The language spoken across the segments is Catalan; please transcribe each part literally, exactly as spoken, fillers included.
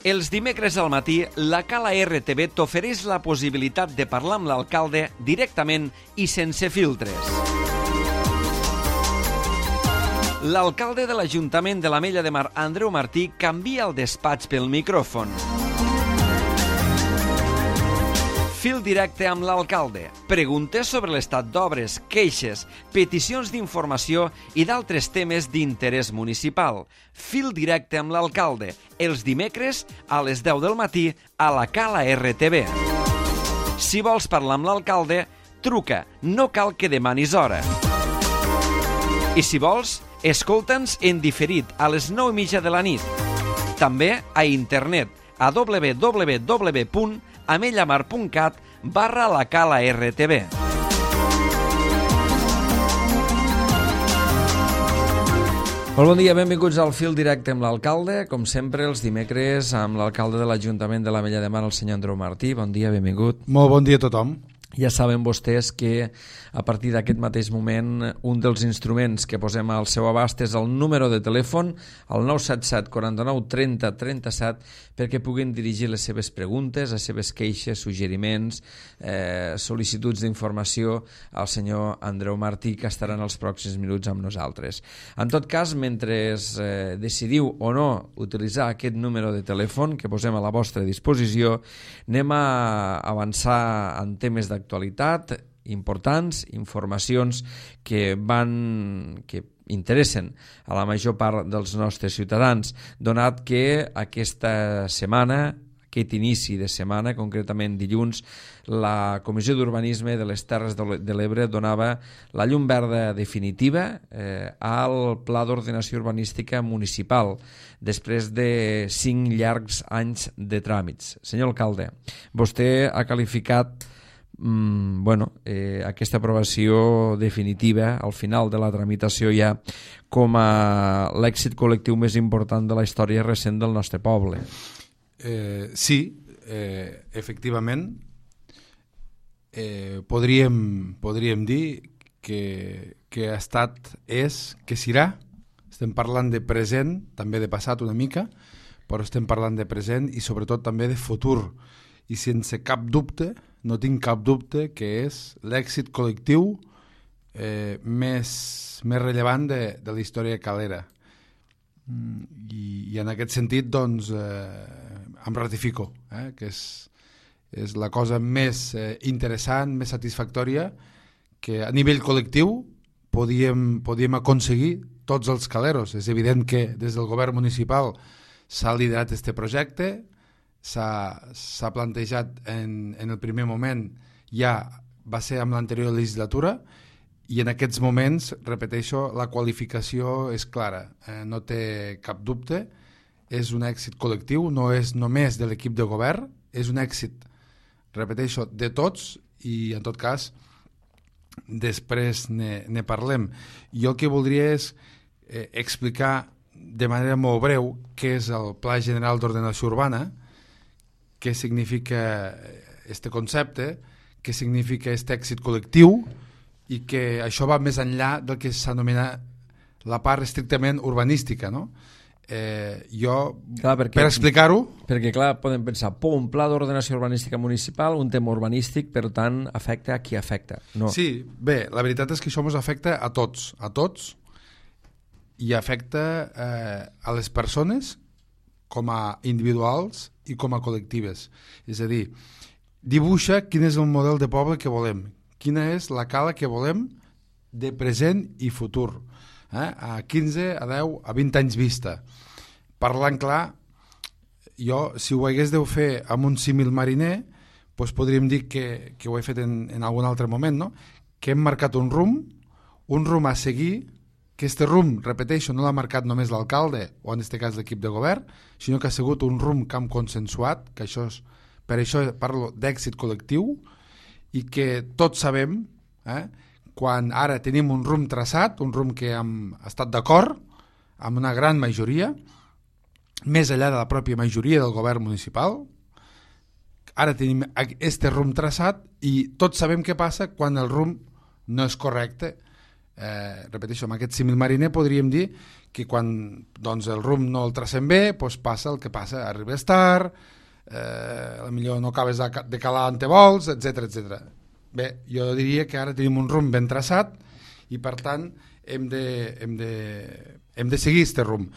Els dimecres al matí, la Cala R T V t'ofereix la possibilitat de parlar amb l'alcalde directament i sense filtres. L'alcalde de l'Ajuntament de l'Ametlla de Mar, Andreu Martí, canvia el despatx pel micròfon. Fil directe amb l'alcalde. Preguntes sobre l'estat d'obres, queixes, peticions d'informació i d'altres temes d'interès municipal. Fil directe amb l'alcalde. Els dimecres a les deu del matí a la Cala R T V. Si vols parlar amb l'alcalde, truca. No cal que demanis hora. I si vols, escolta'ns en diferit a les nou i mitja de la nit. També a internet a w w w punt amellamar punt cat barra la Cala R T V. Molt bon dia, benvinguts al Fil Directe amb l'alcalde. Com sempre, els dimecres amb l'alcalde de l'Ajuntament de l'Ametlla de Mar, el senyor Andreu Martí. Bon dia, benvingut. Molt bon dia a tothom. Ja saben vostès que a partir d'aquest mateix moment un dels instruments que posem al seu abast és el número de telèfon, el nou set set quaranta-nou trenta trenta-set, perquè puguin dirigir les seves preguntes, les seves queixes, suggeriments, eh, sol·licituds d'informació al senyor Andreu Martí, que estaran els pròxims minuts amb nosaltres. En tot cas, mentre eh, decidiu o no utilitzar aquest número de telèfon que posem a la vostra disposició, anem a avançar en temes d'actualitat importants, informacions que van que interessen a la major part dels nostres ciutadans, donat que aquesta setmana, aquest inici de setmana, concretament dilluns, la Comissió d'Urbanisme de les Terres de l'Ebre donava la llum verda definitiva eh, al Pla d'Ordenació Urbanística Municipal, després de cinc llargs anys de tràmits. Senyor alcalde, vostè ha qualificat Mm, bueno, eh, aquesta aprovació definitiva al final de la tramitació ja com a l'èxit col·lectiu més important de la història recent del nostre poble. Eh, sí, eh, efectivament, eh, podríem, podríem dir que, que ha estat, és, que serà. Estem parlant de present, també de passat una mica, però estem parlant de present i sobretot també de futur. I sense cap dubte, no tinc cap dubte que és l'èxit col·lectiu eh, més, més rellevant de, de la història calera. I, i en aquest sentit, doncs, eh, em ratifico, eh, que és, és la cosa més eh, interessant, més satisfactòria que a nivell col·lectiu podíem, podíem aconseguir tots els caleros. És evident que des del govern municipal s'ha liderat aquest projecte, s'ha plantejat en, en el primer moment, ja va ser amb l'anterior legislatura, i en aquests moments, repeteixo, la qualificació és clara, eh, no té cap dubte, és un èxit col·lectiu, no és només de l'equip de govern, és un èxit, repeteixo, de tots, i en tot cas després ne, ne parlem. Jo el que voldria és eh, explicar de manera molt breu què és el Pla General d'Ordenació Urbana, què significa este concepte, què significa aquest èxit col·lectiu, i que això va més enllà del que s'anomena la part estrictament urbanística, no? Eh, jo, clar, perquè, per explicar-ho... Perquè, clar, podem pensar, po, un pla d'ordenació urbanística municipal, un tema urbanístic, per tant, afecta a qui afecta. No. Sí, bé, la veritat és que això ens afecta a tots, a tots, i afecta eh, a les persones com a individuals i com a col·lectives. És a dir, dibuixa quin és el model de poble que volem, quina és la cala que volem de present i futur, eh? a quinze, a deu, a vint anys vista. Parlant clar, jo, si ho hagués de fer amb un símil mariner, doncs podríem dir que, que ho he fet en, en algun altre moment, no? Que hem marcat un rumb, un rumb a seguir, que este rumb, repeteixo, no l'ha marcat només l'alcalde, o en aquest cas l'equip de govern, sinó que ha sigut un rumb que hem consensuat, que això és, per això parlo d'èxit col·lectiu, i que tots sabem, eh, quan ara tenim un rumb traçat, un rumb que hem estat d'acord, amb una gran majoria, més enllà de la pròpia majoria del govern municipal, ara tenim este rumb traçat i tots sabem què passa quan el rumb no és correcte, Eh, repeteixo, amb aquest símil mariner podríem dir que quan doncs, el rumb no el tracem bé, doncs passa el que passa, arribes tard, eh, potser no acabes de, de calar on te vols, etcètera etcètera. Bé, jo diria que ara tenim un rumb ben traçat i per tant hem de, hem de, hem de seguir aquest rumb.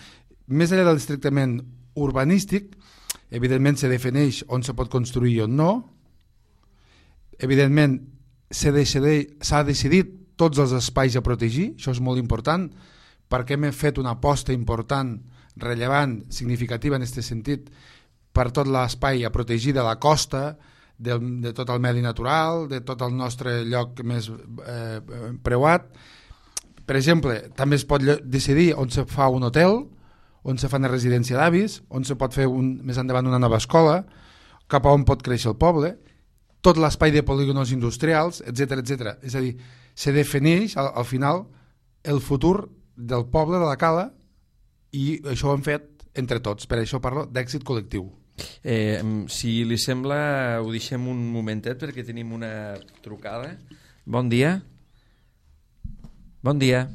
Més enllà del estrictament urbanístic, evidentment se defineix on se pot construir i on no, evidentment s'ha decidit tots els espais a protegir, això és molt important, perquè hem fet una aposta important, rellevant, significativa en aquest sentit, per tot l'espai a protegir de la costa, de, de tot el medi natural, de tot el nostre lloc més eh, preuat. Per exemple, també es pot decidir on se fa un hotel, on se fa una residència d'avis, on se pot fer un, més endavant una nova escola, cap a on pot créixer el poble, tot l'espai de polígonos industrials, etcètera etcètera. És a dir, se defineix al, al final el futur del poble de la Cala i això ho hem fet entre tots, per això parlo d'èxit col·lectiu. Eh, si li sembla, ho deixem un momentet perquè tenim una trucada. Bon dia. Bon dia.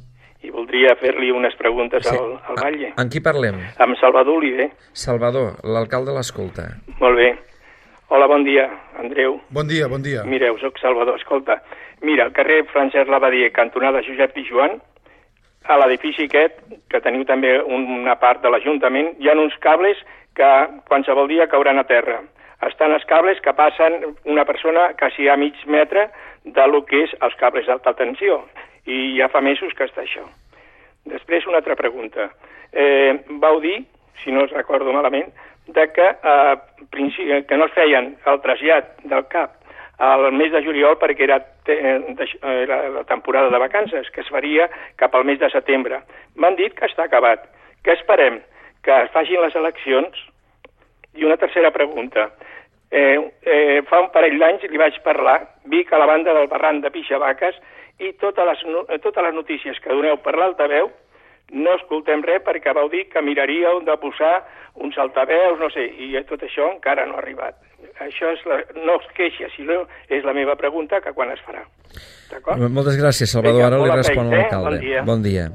I voldria fer-li unes preguntes sí. al, al Batlle. Amb qui parlem? Amb Salvador Oliver. Salvador, l'alcalde l'escolta. Molt bé. Hola, bon dia, Andreu. Bon dia, bon dia. Mireu, soc Salvador, escolta. Mira, al carrer Francesc Labadier, cantonada Josep Pijuan, a l'edifici aquest, que teniu també una part de l'Ajuntament, hi ha uns cables que qualsevol dia cauran a terra. Estan els cables que passen una persona quasi a mig metre de lo que és els cables d'alta tensió. I ja fa mesos que està això. Després, una altra pregunta. Eh, vau dir, si no us recordo malament, de que, eh, que no es feien el trasllat del C A P al mes de juliol perquè era, era la temporada de vacances, que es faria cap al mes de setembre. M'han dit que està acabat. Què esperem? Que es facin les eleccions? I una tercera pregunta. Eh, eh, fa un parell d'anys li vaig parlar, Vic a la banda del barranc de Pixavaques, i totes les, totes les notícies que doneu per l'altaveu no escoltem res perquè vau dir que miraríeu de posar uns altaveus, no sé, i tot això encara no ha arribat. Això és la, no es queixa, sinó és la meva pregunta, que quan es farà. D'acord? Moltes gràcies, Salvador. Ara li respon l'alcalde. Bon dia. Bon dia.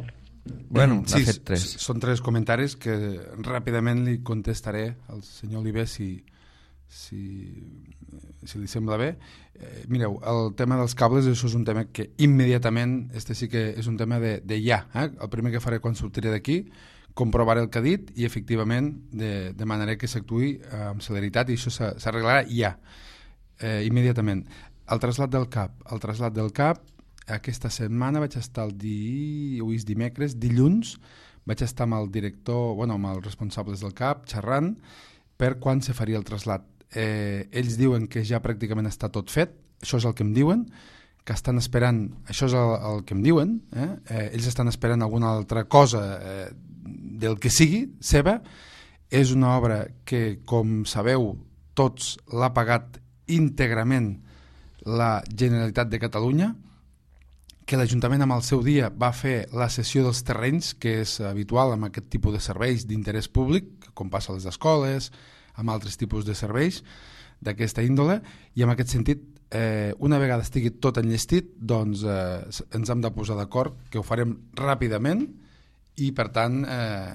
Bueno, sí, fet tres. Són tres comentaris que ràpidament li contestaré al senyor Oliver si, si, si li sembla bé. Eh, mireu, el tema dels cables, això és un tema que immediatament, este sí que és un tema de, de ja. Eh? El primer que faré quan sortiré d'aquí, comprovaré el que ha dit i efectivament de, demanaré que s'actuï amb celeritat i això s'arreglarà ja, eh, immediatament. El trasllat del C A P. El trasllat del C A P, aquesta setmana vaig estar el di... avui és dimecres, dilluns, vaig estar amb el director, bueno, amb els responsables del C A P, xerrant per quan se faria el trasllat. Eh, ells diuen que ja pràcticament està tot fet, això és el que em diuen, que estan esperant, això és el, el que em diuen, eh? Eh, ells estan esperant alguna altra cosa eh, del que sigui, seva. És una obra que, com sabeu, tots l'ha pagat íntegrament la Generalitat de Catalunya, que l'Ajuntament amb el seu dia va fer la cessió dels terrenys, que és habitual amb aquest tipus de serveis d'interès públic, com passa a les escoles, amb altres tipus de serveis d'aquesta índole, i en aquest sentit, eh, una vegada estigui tot enllestit, doncs eh, ens hem de posar d'acord que ho farem ràpidament i per tant eh,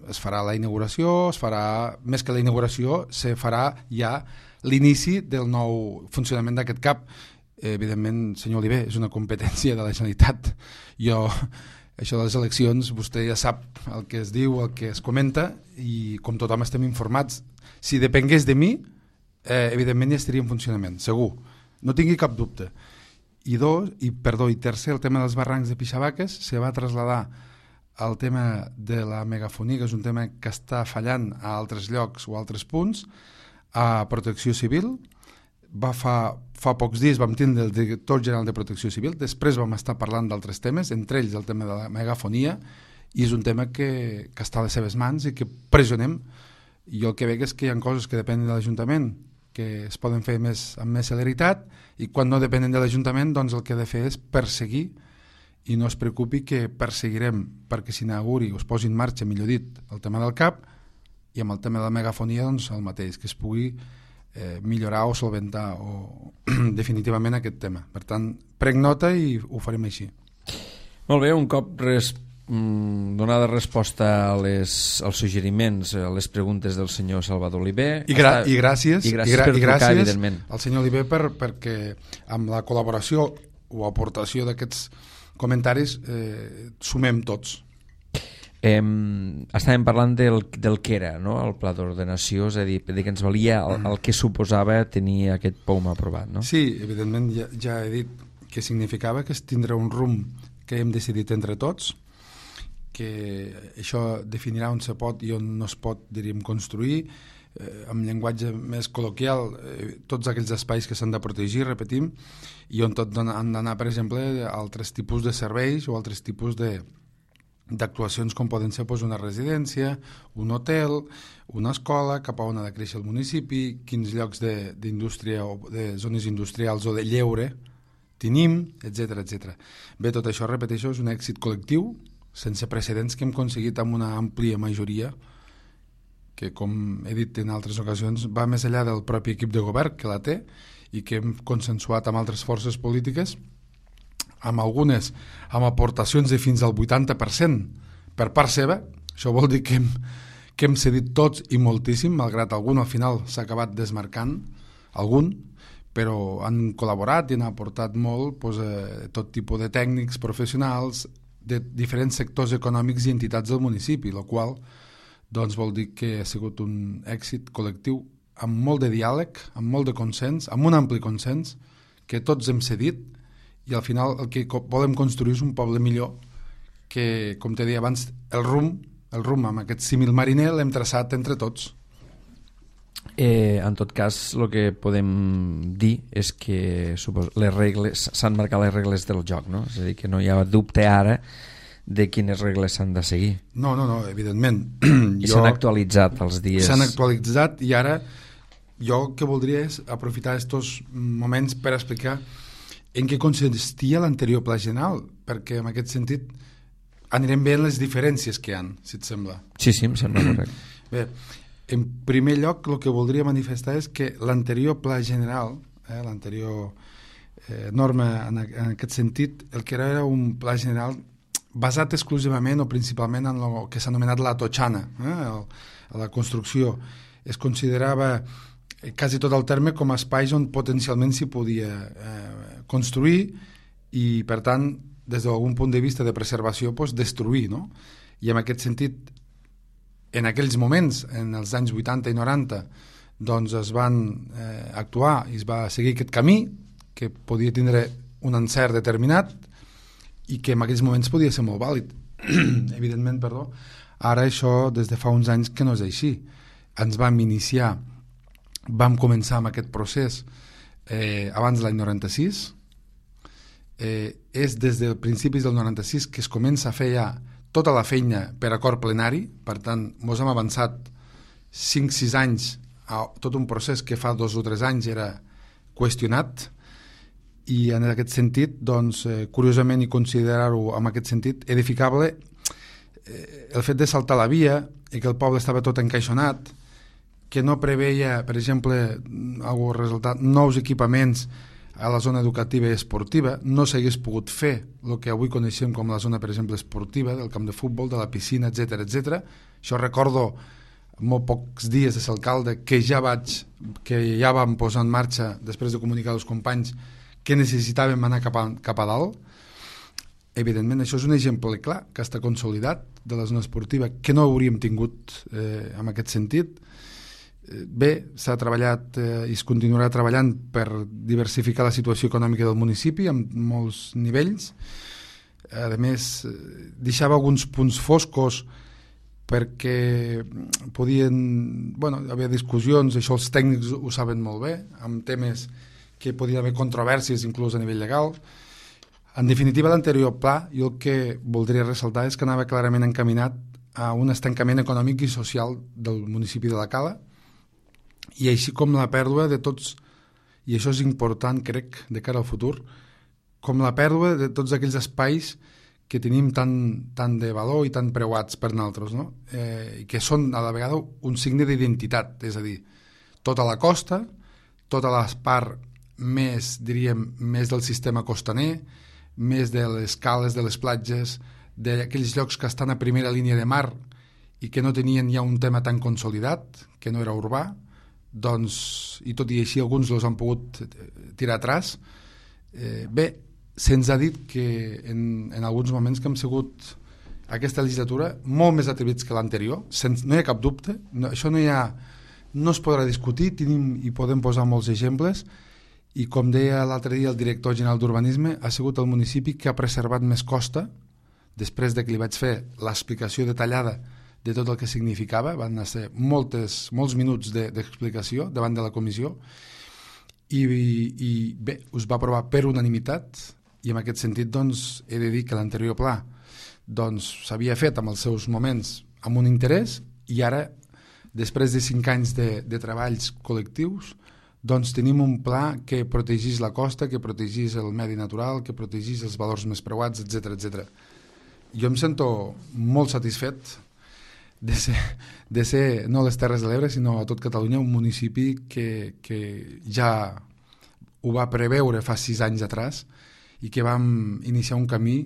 es farà la inauguració, es farà, més que la inauguració, se farà ja l'inici del nou funcionament d'aquest C A P. Eh, evidentment, senyor Oliver, és una competència de la Generalitat. Jo, això de les eleccions, vostè ja sap el que es diu, el que es comenta, i com tothom estem informats, si depengués de mi, eh, evidentment ja estaria en funcionament, segur. No tingui cap dubte. I dos, i perdó, i tercer, el tema dels barrancs de Pixavaques se va traslladar al tema de la megafonia, que és un tema que està fallant a altres llocs o altres punts, a Protecció Civil. Va fa, fa pocs dies vam tindre el director general de Protecció Civil, després vam estar parlant d'altres temes, entre ells el tema de la megafonia, i és un tema que, que està a les seves mans i que pressionem. I jo el que veig és que hi ha coses que depenen de l'Ajuntament, que es poden fer més, amb més celeritat, i quan no depenen de l'Ajuntament, doncs el que he de fer és perseguir, i no es preocupi que perseguirem perquè s'inauguri o es posi en marxa, millor dit, el tema del C A P, i amb el tema de la megafonia doncs el mateix, que es pugui eh, millorar o solventar o, definitivament aquest tema. Per tant, prenc nota i ho farem així. Molt bé, un cop res, donada resposta a les, als suggeriments, a les preguntes del senyor Salvador Oliver. I, gra i gràcies, i gràcies, i gra per i trucar, gràcies evidentment, al senyor Oliver per, perquè amb la col·laboració o aportació d'aquests comentaris eh, sumem tots. Eh, estàvem parlant del, del que era, no?, el pla d'ordenació, és a dir, de que ens valia el, el que suposava tenir aquest P O U M aprovat, no? Sí, evidentment ja, ja he dit que significava que es tindrà un rumb que hem decidit entre tots, que això definirà on se pot i on no es pot, diríem, construir, eh, amb llenguatge més col·loquial, eh, tots aquells espais que s'han de protegir, repetim, i on tot han d'anar, per exemple, altres tipus de serveis o altres tipus de d'actuacions com poden ser doncs, una residència, un hotel, una escola, cap a on ha de créixer el municipi, quins llocs d'indústria o de zones industrials o de lleure tenim, etcètera etcètera. Bé, tot això, repeteixo, és un èxit col·lectiu sense precedents que hem aconseguit amb una àmplia majoria que, com he dit en altres ocasions, va més enllà del propi equip de govern que la té i que hem consensuat amb altres forces polítiques, amb algunes amb aportacions de fins al vuitanta per cent per part seva. Això vol dir que hem, que hem cedit tots i moltíssim, malgrat algun al final s'ha acabat desmarcant, algun, però han col·laborat i han aportat molt doncs, eh, tot tipus de tècnics professionals de diferents sectors econòmics i entitats del municipi, el qual doncs, vol dir que ha sigut un èxit col·lectiu amb molt de diàleg, amb molt de consens, amb un ampli consens, que tots hem cedit, i al final el que volem construir és un poble millor que, com t'he dit abans, el rumb, el rumb amb aquest símil mariner l'hem traçat entre tots. Eh, en tot cas, el que podem dir és que les regles s'han marcat les regles del joc, no? És a dir, que no hi ha dubte ara de quines regles s'han de seguir. No, no, no, evidentment. I s'han actualitzat els dies. S'han actualitzat i ara jo el que voldria és aprofitar aquests moments per explicar en què consistia l'anterior pla general, perquè en aquest sentit anirem veient les diferències que hi ha, si et sembla. Sí, sí, em sembla correcte. Bé, en primer lloc, el que voldria manifestar és que l'anterior pla general, eh, l'anterior eh, norma en, en aquest sentit, el que era, era un pla general basat exclusivament o principalment en el que s'ha anomenat la totxana, eh, el, la construcció. Es considerava quasi tot el terme com a espais on potencialment s'hi podia eh, construir i, per tant, des d'algun punt de vista de preservació, doncs, destruir, no? I en aquest sentit, en aquells moments, en els anys vuitanta i noranta, doncs es van eh, actuar i es va seguir aquest camí que podia tindre un encert determinat i que en aquells moments podia ser molt vàlid. Evidentment, perdó. Ara això, des de fa uns anys que no és així. Ens vam iniciar, vam començar amb aquest procés eh, abans de l'any noranta-sis. Eh, és des de principis del noranta-sis que es comença a fer ja tota la feina per acord plenari, per tant, mos hem avançat cinc sis anys a tot un procés que fa dos o tres anys era qüestionat, i en aquest sentit, doncs, eh, curiosament, i considerar-ho en aquest sentit edificable, eh, el fet de saltar la via i que el poble estava tot encaixonat, que no preveia, per exemple, algun resultat, nous equipaments a la zona educativa i esportiva, no s'hagués pogut fer el que avui coneixem com la zona, per exemple, esportiva, del camp de futbol, de la piscina, etcètera etcètera. Això recordo molt pocs dies de ser alcalde que ja vaig, que ja vam posar en marxa, després de comunicar als companys que necessitàvem anar cap a, cap a dalt. Evidentment, això és un exemple clar que està consolidat de la zona esportiva, que no hauríem tingut eh, en aquest sentit. Bé, s'ha treballat eh, i es continuarà treballant per diversificar la situació econòmica del municipi en molts nivells. A més, deixava alguns punts foscos perquè podien, bueno, haver discussions, això els tècnics ho saben molt bé, amb temes que podien haver controvèrsies inclús a nivell legal. En definitiva, l'anterior pla, jo el que voldria ressaltar és que anava clarament encaminat a un estancament econòmic i social del municipi de la Cala, i així com la pèrdua de tots, i això és important, crec, de cara al futur, com la pèrdua de tots aquells espais que tenim tan, tan de valor i tan preuats per nosaltres, no? Eh, i que són a la vegada un signe d'identitat, és a dir, tota la costa, tota la part més, diríem, més del sistema costaner, més de les cales, de les platges, d'aquells llocs que estan a primera línia de mar i que no tenien ja un tema tan consolidat, que no era urbà, doncs, i tot i així alguns els han pogut tirar atràs. Eh, bé, se'ns ha dit que en, en alguns moments que hem sigut aquesta legislatura molt més atrevits que l'anterior, no hi ha cap dubte, no, això no hi ha, no es podrà discutir, tenim i podem posar molts exemples, i com deia l'altre dia el director general d'Urbanisme, ha sigut el municipi que ha preservat més costa, després de que li vaig fer l'explicació detallada de tot el que significava, van ser moltes, molts minuts d'explicació de, davant de la comissió, i, i bé, us va aprovar per unanimitat, i en aquest sentit doncs, he de dir que l'anterior pla doncs, s'havia fet amb els seus moments amb un interès, i ara, després de cinc anys de, de treballs col·lectius, doncs tenim un pla que protegís la costa, que protegís el medi natural, que protegís els valors més preuats, etcètera, etcètera. Jo em sento molt satisfet de ser, de ser no a les Terres de l'Ebre, sinó a tot Catalunya, un municipi que, que ja ho va preveure fa sis anys atràs i que vam iniciar un camí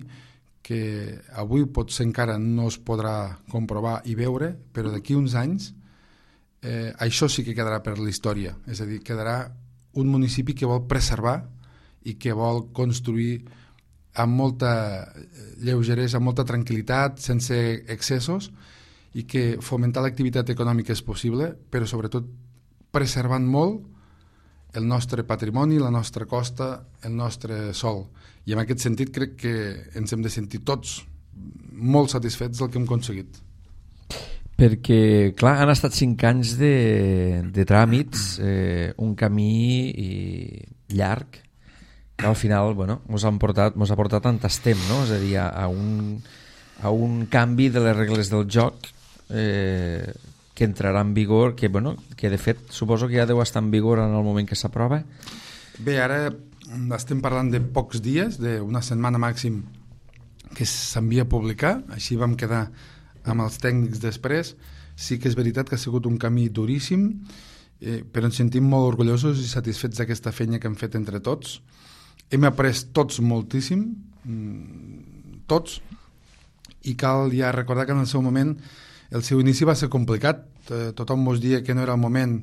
que avui potser encara no es podrà comprovar i veure, però d'aquí uns anys eh, això sí que quedarà per la història, és a dir, quedarà un municipi que vol preservar i que vol construir amb molta lleugeresa, amb molta tranquil·litat, sense excessos, i que fomentar l'activitat econòmica és possible, però sobretot preservant molt el nostre patrimoni, la nostra costa, el nostre sòl. I en aquest sentit crec que ens hem de sentir tots molt satisfets del que hem aconseguit. Perquè, clar, han estat cinc anys de, de tràmits, eh, un camí i llarg, que al final, bueno, mos han portat, mos ha portat on estem, no? És a dir, a, a, un, a un canvi de les regles del joc eh, que entrarà en vigor, que, bueno, que de fet suposo que ja deu estar en vigor en el moment que s'aprova. Bé, ara estem parlant de pocs dies, d'una setmana màxim que s'envia a publicar, així vam quedar amb els tècnics després. Sí que és veritat que ha sigut un camí duríssim, eh, però ens sentim molt orgullosos i satisfets d'aquesta feina que hem fet entre tots. Hem après tots moltíssim, tots, i cal ja recordar que en el seu moment el seu inici va ser complicat. Eh, tothom mos dia que no era el moment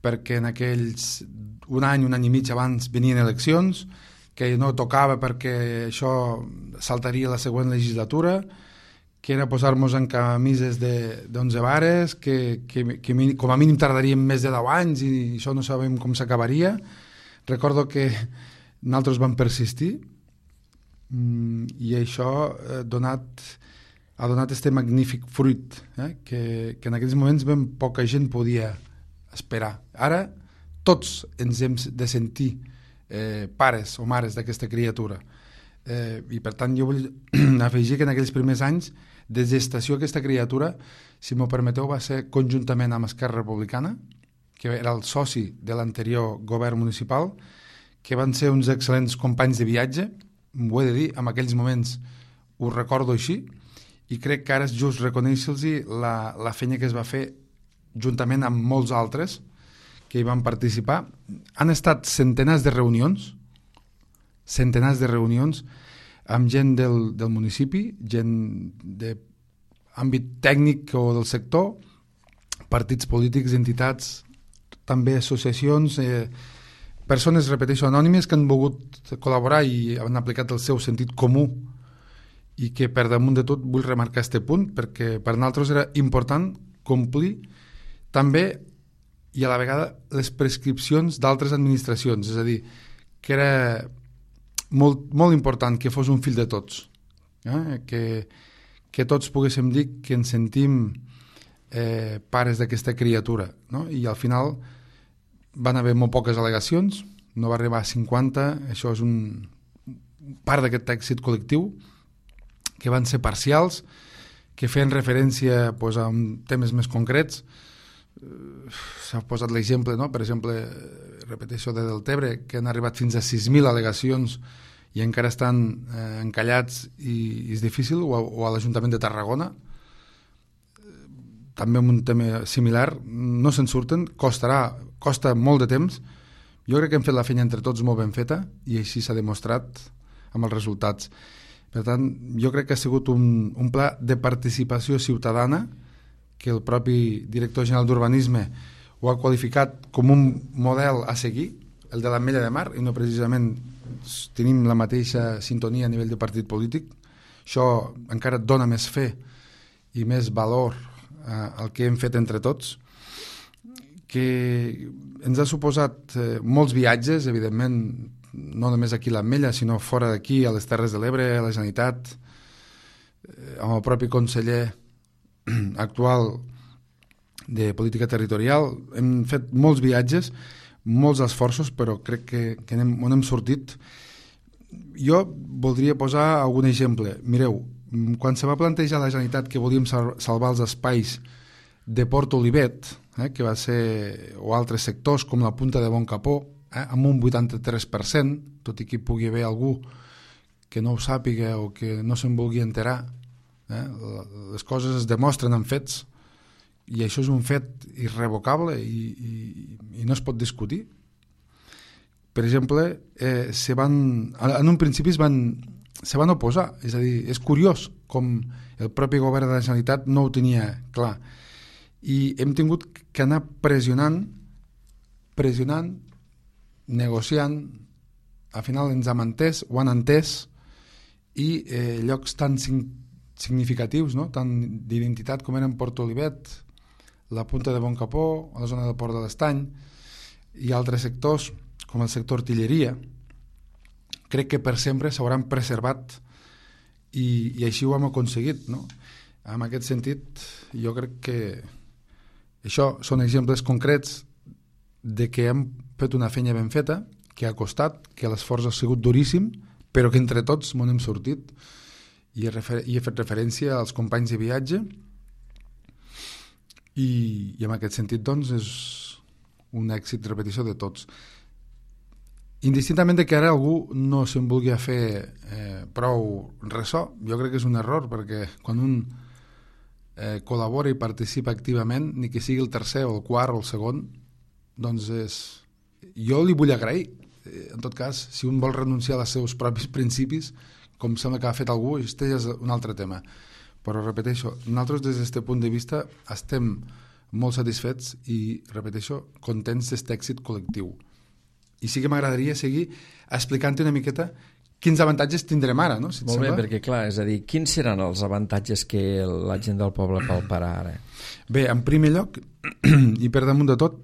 perquè en aquells un any, un any i mig abans venien eleccions, que no tocava perquè això saltaria la següent legislatura, que era posar-nos en camises d'onze vares, que, que, que com a mínim tardaríem més de deu anys i això no sabem com s'acabaria. Recordo que nosaltres vam persistir i això ha donat, ha donat este magnífic fruit eh? que, que en aquells moments ben poca gent podia esperar. Ara tots ens hem de sentir eh, pares o mares d'aquesta criatura eh, i per tant jo vull afegir que en aquells primers anys de gestació aquesta criatura, si m'ho permeteu, va ser conjuntament amb Esquerra Republicana, que era el soci de l'anterior govern municipal, que van ser uns excel·lents companys de viatge, ho he de dir, en aquells moments ho recordo així, i crec que ara és just reconèixer-los la, la feina que es va fer juntament amb molts altres que hi van participar. Han estat centenars de reunions, centenars de reunions amb gent del, del municipi, gent d'àmbit tècnic o del sector, partits polítics, entitats, també associacions, eh, persones, repeteixo, anònimes que han volgut col·laborar i han aplicat el seu sentit comú i que per damunt de tot vull remarcar este punt perquè per nosaltres era important complir també i a la vegada les prescripcions d'altres administracions, és a dir, que era molt, molt important que fos un fill de tots, eh? que, que tots poguéssim dir que ens sentim eh, pares d'aquesta criatura, no? I al final van haver molt poques al·legacions, no va arribar a cinquanta, això és un part d'aquest èxit col·lectiu, que van ser parcials, que feien referència pues, a temes més concrets. S'ha posat l'exemple, no? Per exemple, repeteixo de Deltebre, que han arribat fins a sis mil al·legacions i encara estan eh, encallats i, i és difícil, o a, o a l'Ajuntament de Tarragona, també amb un tema similar, no se'n surten, costarà, costa molt de temps. Jo crec que hem fet la feina entre tots molt ben feta i així s'ha demostrat amb els resultats. Per tant, jo crec que ha sigut un, un pla de participació ciutadana que el propi director general d'Urbanisme ho ha qualificat com un model a seguir, el de l'Ametlla de Mar, i no precisament tenim la mateixa sintonia a nivell de partit polític. Això encara et dona més fe i més valor eh, al que hem fet entre tots, que ens ha suposat eh, molts viatges, evidentment, no només aquí a l'Ametlla, sinó fora d'aquí, a les Terres de l'Ebre, a la Generalitat, eh, amb el propi conseller actual de política territorial. Hem fet molts viatges, molts esforços, però crec que, que anem, on hem sortit. Jo voldria posar algun exemple. Mireu, quan se va plantejar la Generalitat que volíem salvar els espais de Port Olivet, eh, que va ser, o altres sectors com la Punta de Bon Capó, eh, amb un vuitanta-tres per cent, tot i que hi pugui haver algú que no ho sàpiga o que no se'n vulgui enterar, eh, les coses es demostren en fets, i això és un fet irrevocable i, i, i no es pot discutir. Per exemple, eh, se van, en un principi es van, se van oposar, és a dir, és curiós com el propi govern de la Generalitat no ho tenia clar, i hem tingut que anar pressionant, pressionant, negociant, al final ens hem entès, ho han entès, i eh, llocs tan significatius, no? Tan d'identitat com eren Port Olivet, la Punta de Bon Capó, a la zona del Port de l'Estany, i altres sectors, com el sector artilleria, crec que per sempre s'hauran preservat i, i així ho hem aconseguit, no? En aquest sentit, jo crec que això són exemples concrets de que hem fet una feina ben feta, que ha costat, que l'esforç ha sigut duríssim, però que entre tots m'ho hem sortit, i he, refer- i he fet referència als companys de viatge, i, i en aquest sentit doncs és un èxit, repetició de tots. Indistintament de que ara algú no se'n vulgui fer eh, prou ressò, jo crec que és un error, perquè quan un eh, col·labora i participa activament, ni que sigui el tercer o el quart o el segon, doncs és... jo li vull agrair. En tot cas, si un vol renunciar als seus propis principis, com sembla que ha fet algú, este és un altre tema. Però repeteixo, nosaltres des d'aquest punt de vista estem molt satisfets i, repeteixo, contents d'aquest èxit col·lectiu. I sí que m'agradaria seguir explicant-te una miqueta quins avantatges tindrem ara, no? Si et Molt sembla? bé, perquè clar, és a dir, quins seran els avantatges que la gent del poble palparà ara? Bé, en primer lloc, i per damunt de tot,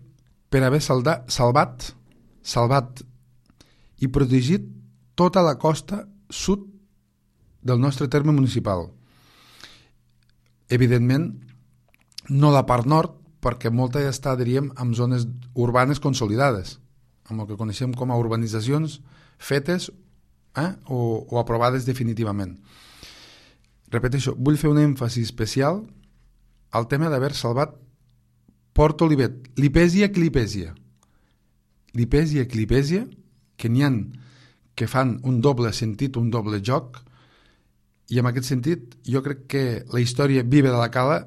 per haver salda, salvat, salvat i protegit tota la costa sud del nostre terme municipal. Evidentment, no la part nord, perquè molta ja està, diríem, en zones urbanes consolidades, amb el que coneixem com a urbanitzacions fetes eh, o, o aprovades definitivament. Repeteixo, vull fer un èmfasi especial al tema d'haver salvat Port Olivet, Lipèsia, Clipèsia. Lipèsia, Clipèsia, que n'hi ha que fan un doble sentit, un doble joc, i en aquest sentit jo crec que la història viva de la Cala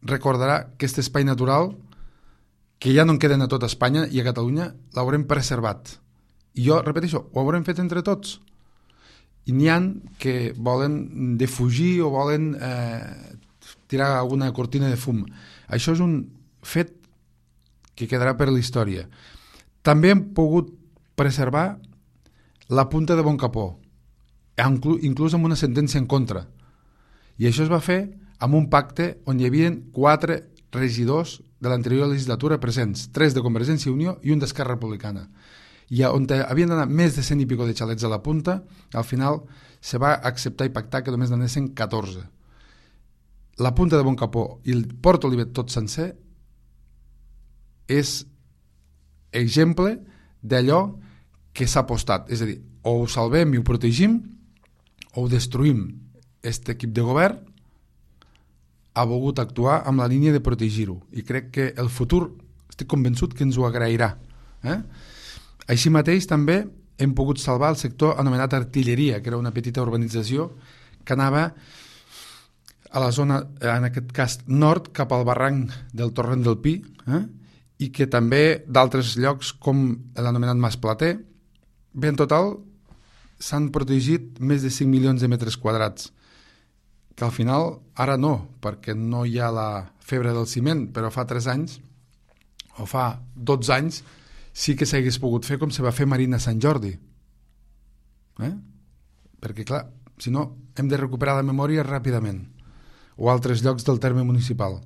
recordarà que aquest espai natural, que ja no en queden a tota Espanya i a Catalunya, l'haurem preservat. I jo, repeteixo, ho haurem fet entre tots. I n'hi ha que volen defugir o volen eh, tirar alguna cortina de fum. Això és un fet que quedarà per la història. També hem pogut preservar la Punta de Bon Capó, inclús amb una sentència en contra. I això es va fer amb un pacte on hi havia quatre regidors de l'anterior legislatura presents, tres de Convergència i Unió i un d'Esquerra Republicana. I on havien d'anar més de cent i pico de xalets a la punta, al final se va acceptar i pactar que només n'anessin catorze. La Punta de Bon Capó i el Port Olivet tot sencer és exemple d'allò que s'ha apostat. És a dir, o ho salvem i ho protegim, o ho destruïm. Aquest equip de govern ha volgut actuar amb la línia de protegir-ho. I crec que el futur, estic convençut que ens ho agrairà. Eh? Així mateix, també hem pogut salvar el sector anomenat Artilleria, que era una petita urbanització que anava a la zona, en aquest cas, nord, cap al barranc del Torrent del Pi, eh? I que també d'altres llocs com l'anomenat Mas Plater. Bé, en total, s'han protegit més de cinc milions de metres quadrats, que al final, ara no, perquè no hi ha la febre del ciment, però fa tres anys, o fa dotze anys, sí que s'hagués pogut fer com se va fer Marina Sant Jordi. Eh? Perquè, clar, si no, hem de recuperar la memòria ràpidament, o altres llocs del terme municipal.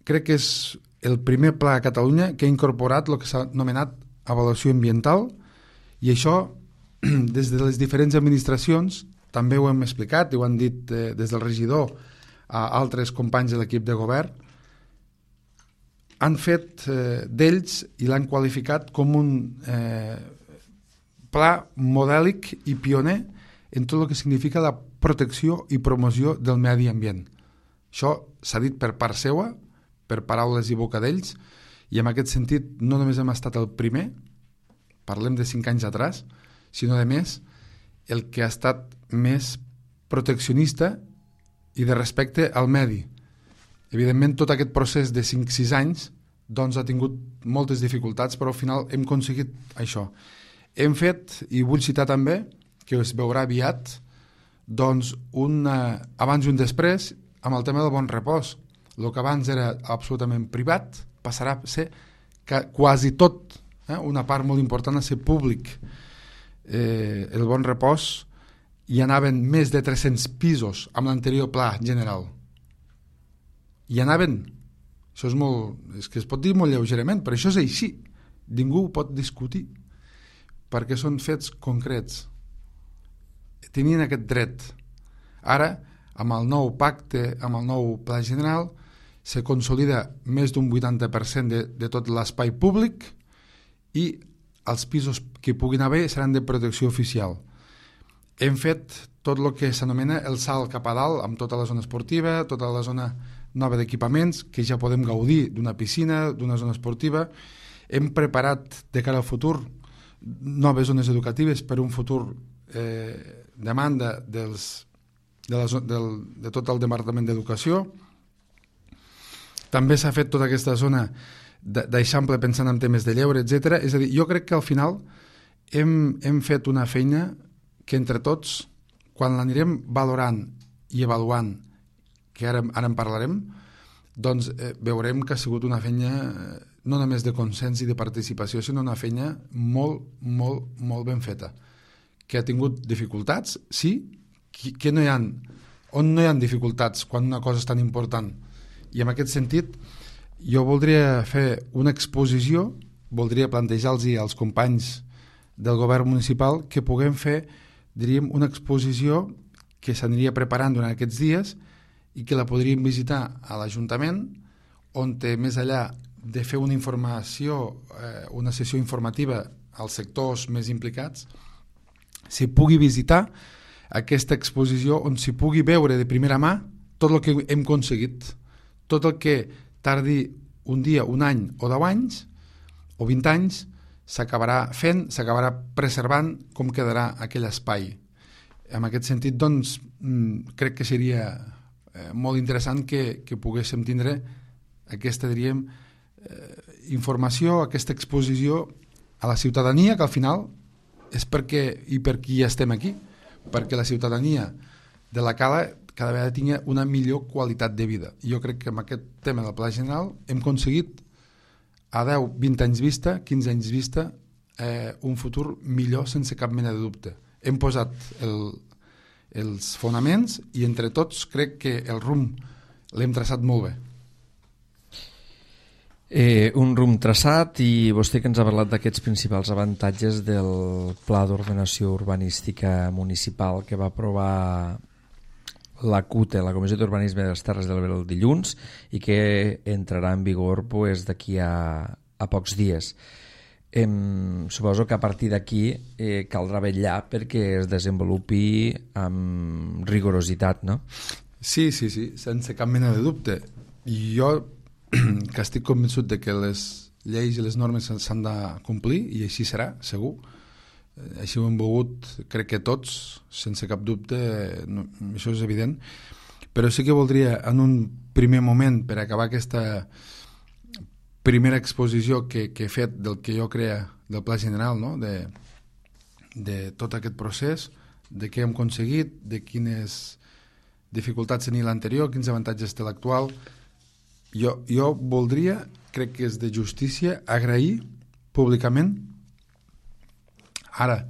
Crec que és el primer pla a Catalunya que ha incorporat el que s'ha anomenat avaluació ambiental, i això, des de les diferents administracions, també ho hem explicat i ho han dit eh, des del regidor a altres companys de l'equip de govern, han fet eh, d'ells i l'han qualificat com un eh, pla modèlic i pioner en tot el que significa la protecció i promoció del medi ambient. Això s'ha dit per part seua, per paraules i boca d'ells, i en aquest sentit no només hem estat el primer, parlem de cinc anys atrás, sinó de més, el que ha estat més proteccionista i de respecte al medi. Evidentment, tot aquest procés de cinc sis anys doncs ha tingut moltes dificultats, però al final hem aconseguit això. Hem fet, i vull citar també, que es veurà aviat, doncs un abans i un després amb el tema del bon repòs. El que abans era absolutament privat passarà a ser que quasi tot, eh, una part molt important a ser públic. Eh, el bon repòs hi anaven més de tres-cents pisos amb l'anterior pla general. Hi anaven. Això és molt... És que es pot dir molt lleugerament, però això és així. Ningú ho pot discutir, perquè són fets concrets. Tenien aquest dret. Ara, amb el nou pacte, amb el nou pla general, se consolida més d'un vuitanta per cent de, de tot l'espai públic i els pisos que puguin haver seran de protecció oficial. Hem fet tot el que s'anomena el salt cap a dalt, amb tota la zona esportiva, tota la zona nova d'equipaments, que ja podem gaudir d'una piscina, d'una zona esportiva. Hem preparat de cara al futur noves zones educatives per un futur eh, demanda dels, de, la, del, de tot el Departament d'Educació. També s'ha fet tota aquesta zona d'eixample pensant en temes de lleure, etcètera. És a dir, jo crec que al final hem, hem fet una feina que entre tots, quan l'anirem valorant i avaluant, que ara, ara en parlarem, doncs eh, veurem que ha sigut una feina eh, no només de consens i de participació, sinó una feina molt, molt, molt ben feta. Que ha tingut dificultats, sí, que, que no hi ha, on no hi ha dificultats quan una cosa és tan important. I en aquest sentit, jo voldria fer una exposició, voldria plantejar-los als companys del govern municipal que puguem fer, diríem, una exposició que s'aniria preparant durant aquests dies i que la podríem visitar a l'Ajuntament, on té més enllà de fer una informació, eh, una sessió informativa als sectors més implicats, s'hi pugui visitar aquesta exposició on s'hi pugui veure de primera mà tot el que hem aconseguit, tot el que tardi un dia, un any o deu anys o vint anys s'acabarà fent, s'acabarà preservant com quedarà aquell espai. En aquest sentit, doncs, crec que seria eh, molt interessant que, que poguéssim tindre aquesta, diríem, eh, informació, aquesta exposició a la ciutadania, que al final és perquè i per qui estem aquí, perquè la ciutadania de la Cala cada vegada tingui una millor qualitat de vida. I jo crec que amb aquest tema del Pla General hem aconseguit a deu, vint anys vista, quinze anys vista, eh, un futur millor sense cap mena de dubte. Hem posat el, els fonaments i entre tots crec que el rumb l'hem traçat molt bé. Eh, un rumb traçat, i vostè que ens ha parlat d'aquests principals avantatges del Pla d'Ordenació Urbanística Municipal que va aprovar la C U T E, la Comissió d'Urbanisme de les Terres de l'Ebre, el dilluns, i que entrarà en vigor pues, d'aquí a, a pocs dies. Em, suposo que a partir d'aquí eh, caldrà vetllar perquè es desenvolupi amb rigorositat, no? Sí, sí, sí, sense cap mena de dubte. I jo, que estic convençut de que les lleis i les normes s'han de complir, i així serà, segur. Així ho hem volgut, crec que tots, sense cap dubte, no, això és evident. Però sí que voldria, en un primer moment, per acabar aquesta primera exposició que, que he fet del que jo crea del Pla General, no? de, de tot aquest procés, de què hem aconseguit, de quines dificultats tenia l'anterior, quins avantatges té l'actual. Jo, jo voldria, crec que és de justícia, agrair públicament, ara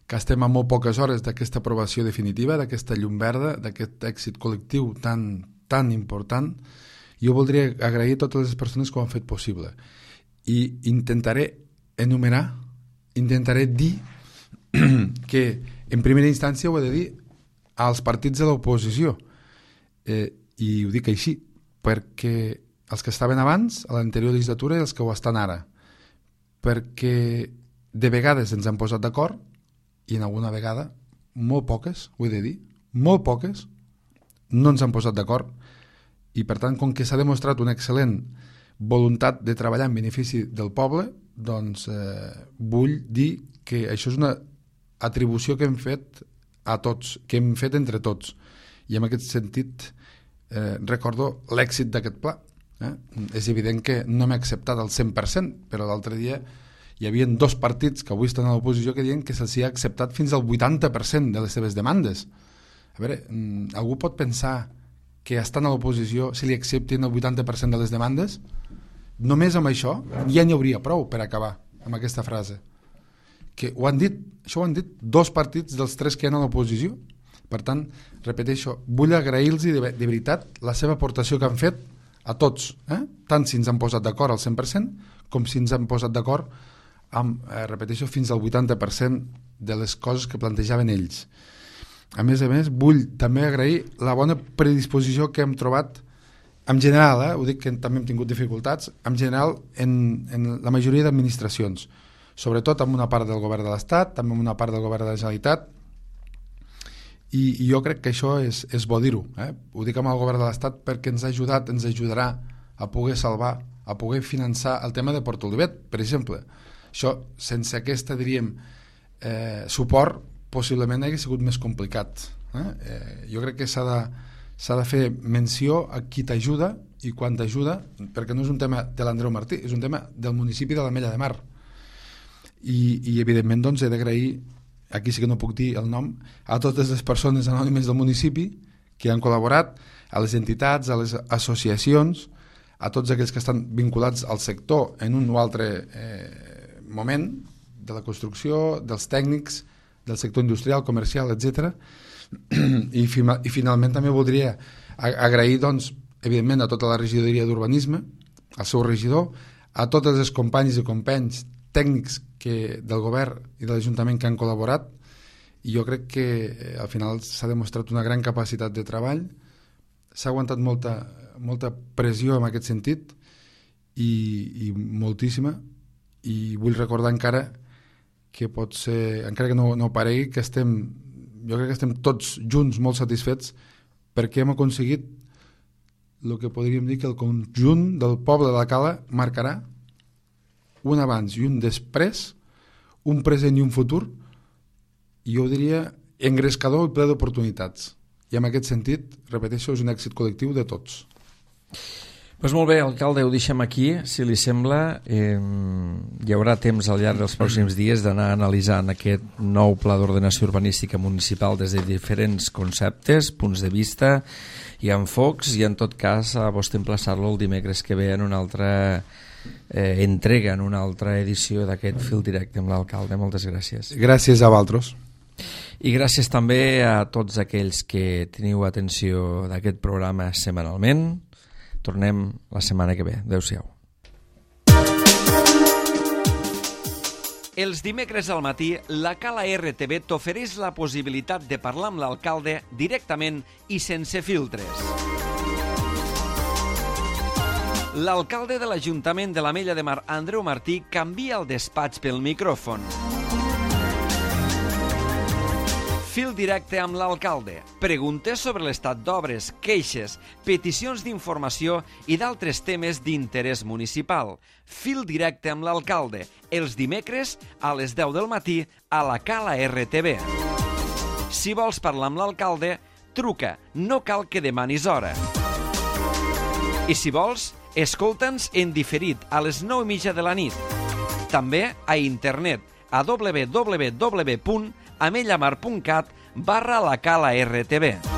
que estem a molt poques hores d'aquesta aprovació definitiva, d'aquesta llum verda, d'aquest èxit col·lectiu tan, tan important, jo voldria agrair a totes les persones que ho han fet possible. I intentaré enumerar, intentaré dir que en primera instància ho he de dir als partits de l'oposició. Eh, I ho dic així, perquè els que estaven abans, a l'anterior legislatura, i els que ho estan ara. Perquè de vegades ens han posat d'acord i en alguna vegada, molt poques, ho he de dir, molt poques, no ens han posat d'acord i per tant, com que s'ha demostrat una excel·lent voluntat de treballar en benefici del poble, doncs eh, vull dir que això és una atribució que hem fet a tots, que hem fet entre tots i en aquest sentit eh, recordo l'èxit d'aquest pla. Eh? És evident que no m'he acceptat al cent per cent, però l'altre dia hi havia dos partits que avui estan a l'oposició que diuen que se'ls ha acceptat fins al vuitanta per cent de les seves demandes. A veure, algú pot pensar que estan a l'oposició si li acceptin el vuitanta per cent de les demandes? Només amb això ja n'hi hauria prou per acabar amb aquesta frase. Que ho han dit, això ho han dit dos partits dels tres que hi ha a l'oposició. Per tant, repeteixo, vull agrair-los de, de veritat la seva aportació que han fet a tots, eh? Tant si ens han posat d'acord al cent per cent com si ens han posat d'acord amb, eh, repeteixo, fins al vuitanta per cent de les coses que plantejaven ells. A més a més, vull també agrair la bona predisposició que hem trobat en general, eh? Ho dic que també hem tingut dificultats, en general en, en la majoria d'administracions, sobretot amb una part del govern de l'Estat, també amb una part del govern de la Generalitat, i, i jo crec que això és, és bo dir-ho. Eh? Ho dic amb el govern de l'Estat perquè ens ha ajudat, ens ajudarà a poder salvar, a poder finançar el tema de Port Olivet, per exemple. Això, sense aquesta, diríem, eh, suport, possiblement hauria sigut més complicat. Eh? Eh, jo crec que s'ha de, s'ha de fer menció a qui t'ajuda i quan t'ajuda, perquè no és un tema de l'Andreu Martí, és un tema del municipi de l'Ametlla de Mar. I, i evidentment, doncs, he d'agrair, aquí sí que no puc dir el nom, a totes les persones anònimes del municipi que han col·laborat, a les entitats, a les associacions, a tots aquells que estan vinculats al sector en un o altre eh, moment de la construcció, dels tècnics, del sector industrial, comercial, etcètera. I, I finalment també voldria agrair, doncs, evidentment, a tota la regidoria d'urbanisme, al seu regidor, a totes les companys i companys tècnics que, del govern i de l'Ajuntament que han col·laborat, i jo crec que eh, al final s'ha demostrat una gran capacitat de treball, s'ha aguantat molta, molta pressió en aquest sentit i, i moltíssima, i vull recordar encara que pot ser, encara que no, no paregui, que estem, jo crec que estem tots junts molt satisfets perquè hem aconseguit el que podríem dir que el conjunt del poble de la Cala marcarà un abans i un després, un present i un futur, i jo diria engrescador i ple d'oportunitats. I en aquest sentit, repeteixo, és un èxit col·lectiu de tots. Pues molt bé, alcalde, ho deixem aquí, si li sembla. Eh, hi haurà temps al llarg dels pròxims dies d'anar analitzant aquest nou pla d'ordenació urbanística municipal des de diferents conceptes, punts de vista i enfocs, i en tot cas a vostè emplaçar-lo el dimecres que ve en una altra eh, entrega, en una altra edició d'aquest Fil Directe amb l'alcalde. Moltes gràcies. Gràcies a vosaltres. I gràcies també a tots aquells que teniu atenció d'aquest programa setmanalment. Tornem la setmana que ve. Adéu-siau. Els dimecres al matí, la Cala R T V t'ofereix la possibilitat de parlar amb l'alcalde directament i sense filtres. L'alcalde de l'Ajuntament de l'Ametlla de Mar, Andreu Martí, canvia el despatx pel micròfon. Fil directe amb l'alcalde. Preguntes sobre l'estat d'obres, queixes, peticions d'informació i d'altres temes d'interès municipal. Fil directe amb l'alcalde. Els dimecres a les deu del matí a la Cala R T V. Si vols parlar amb l'alcalde, truca. No cal que demanis hora. I si vols, escolta'ns en diferit a les nou i mitja de la nit. També a internet a w w w punt amellamar punt cat barra la cala R T B.